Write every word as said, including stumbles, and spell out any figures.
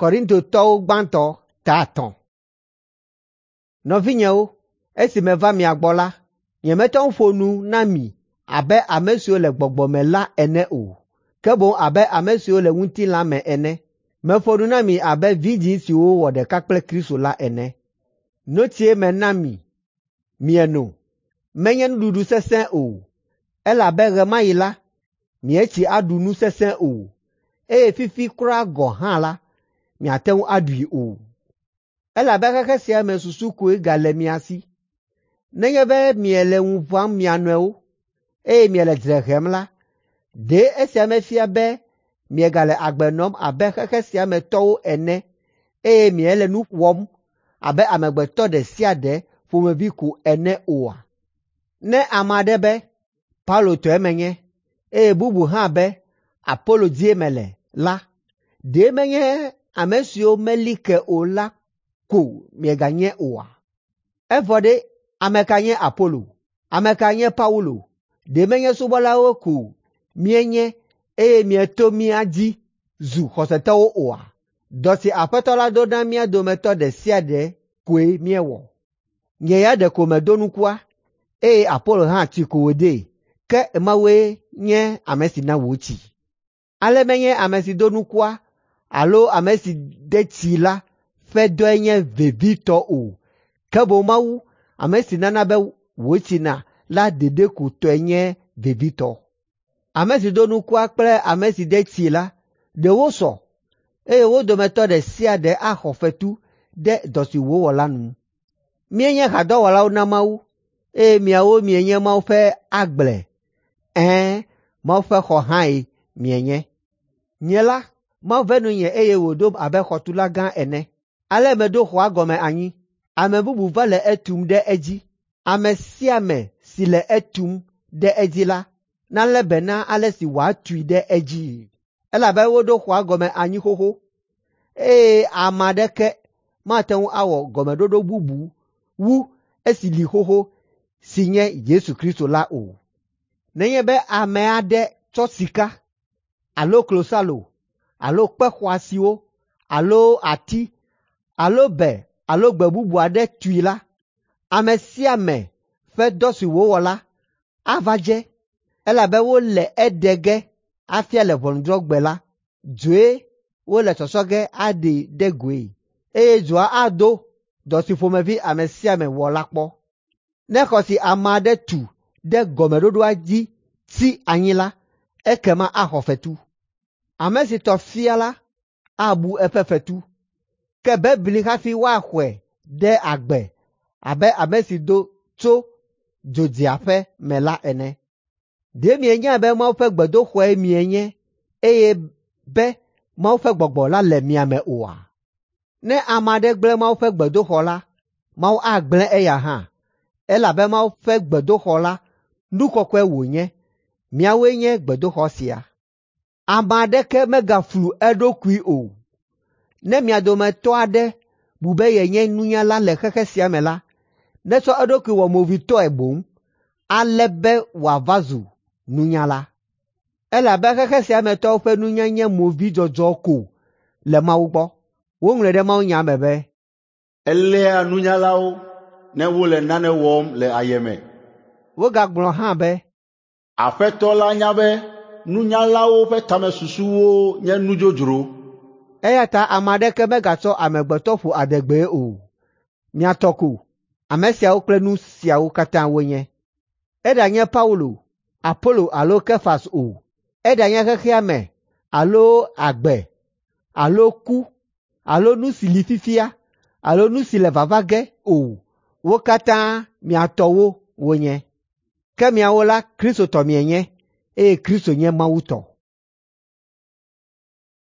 Korintotɔwo gbãtɔ ta atɔ̃. Nɔvinyewo, esi meva mia gbɔ la, nyemete ŋu ƒo nu na mi abe ame siwo le gbɔgbɔ me la ene o, ke boŋ abe ame siwo le ŋutilã me ene. Meƒo nu na mi abe vidzĩ siwo wɔ ɖeka kple Kristo la ene. Notsie mena mi mieno, menye nuɖuɖu sesẽ o, elabe ɣe ma ɣi la, mietsi aɖu nu sesẽ o, eye fifi kura gɔ̃ hã la, miate ŋu aɖui o. Elabe xexe sia me susu koe gale mia si. Nenye be miele ŋu ʋãm mia nɔewo, eye miele dzre hem la, ɖe esia mefia be miegale agbe nɔm abe xexe sia me tɔwo ene eye miele nu wɔm abe amegbetɔ ɖe sia ɖe ƒomevi ko ene oa? Ne ame aɖe be, “Paulo tɔe menye,” eye bubu hã be, “Apolo dzie mele” la, ɖe menye ame siwo meli ke o la ko mieganye oa? Evɔ ɖe, ame ka nye Apolo? Ame ka nye Paulo? Ɖe menye subɔlawo ko míenye eye mieto mía dzi zu xɔsetɔwo oa? Dɔ si Aƒetɔ la ɖo na mía dometɔ ɖe sia ɖe koe míewɔ. Nye ya ɖeko medo nukua, eye Apolo hã tsi ko wòdee, ke Mawue nye ame si na wòtsi. Ale menye ame si do nukua alo ame si de tsii la ƒe dɔe nye vevitɔ o, ke boŋ Mawu, ame si nana be wòtsina la ɖeɖe ko tɔe nye vevitɔ. Ame si do nukua kple ame si de tsii la, ɖe wosɔ, eye wo dometɔ ɖe sia ɖe axɔ fetu ɖe dɔ si wòwɔ la nu. Míenye hadɔwɔlawo na Mawu, eye miawo mienye Mawu ƒe agble. Ɛ̃, Mawu ƒe xɔ hãe mienye. Nye la, Mawu ve nunye eye wòɖom abe xɔtula gã ene. Ale meɖo xɔa gɔme anyi. Ame bubu va le etum ɖe edzi. Ame sia ame si le etum ɖe edzi la, nalé be na ale si wòatui ɖe edzii. Elabe woɖo xɔa gɔme anyi xoxo, eye ame aɖeke mate ŋu awɔ gɔmeɖoɖo bubu wu esi li xoxo si nye Yesu Kristo la o. Nenye be ame aɖe tsɔ sika alo klosalo alo kpe xɔasiwo alo ati alo bè alo gbe bubu aɖe tui la, ame sia ame ƒe dɔ si wòwɔ la ava dze, elabe wole eɖe ge afia le ʋɔnudrɔ̃gbe la. Dzoe wole tsɔtsɔ ge aɖee ɖe goe, eye dzoa ado dɔ si ƒomevi ame sia ame wɔ la kpɔ. Ne xɔ si ame aɖe tu ɖe gɔmeɖoɖoa dzi tsi anyi la, ekema axɔ fetu. Ame si tɔ fia la abu eƒe fetu, ke bebli hafi woaxɔe ɖe agbe abe ame si do tso dzodziaƒe me la ene. Ɖe mienyae be Mawu ƒe gbedoxɔe mienye eye be Mawu ƒe Gbɔgbɔ la le mia me oa? Ne ame aɖe gblẽ Mawu ƒe gbedoxɔ la, Mawu agblẽ eya hã, elabe Mawu ƒe gbedoxɔ la nu kɔkɔe wònye, miawoe nye gbedoxɔ sia. Ame aɖeke megaflu eɖokui o. Ne mia dometɔ aɖe bu be yenye nunyala le xexe sia me la, netsɔ eɖokui wɔ movitɔe boŋ, ale be wòava zu nunyala. Elabe xexe sia me tɔwo ƒe nunya nye movidzɔdzɔ ko le Mawu gbɔ. Woŋlɔe ɖe mawunya me be, “Eléa nunyalawo ne wole nane wɔm le ayeme.” Wogagblɔ hã be, “Aƒetɔ la nya be nunyalawo ƒe tamesusuwo nye nu dzodzro.” Eya ta ame aɖeke megatsɔ amegbetɔ ƒo adegbee o. Mia tɔ ko ame siawo kple nu siawo katã wonye. Eɖanye Paulo, Apolo alo Kefas o, eɖanye xexea me alo agbe alo ku alo nu si li fifia alo nu si le vava ge o, wo katã mia tɔwo wonye. Ke miawo la, Kristo tɔ mienye, eye Kristo nye Mawu tɔ.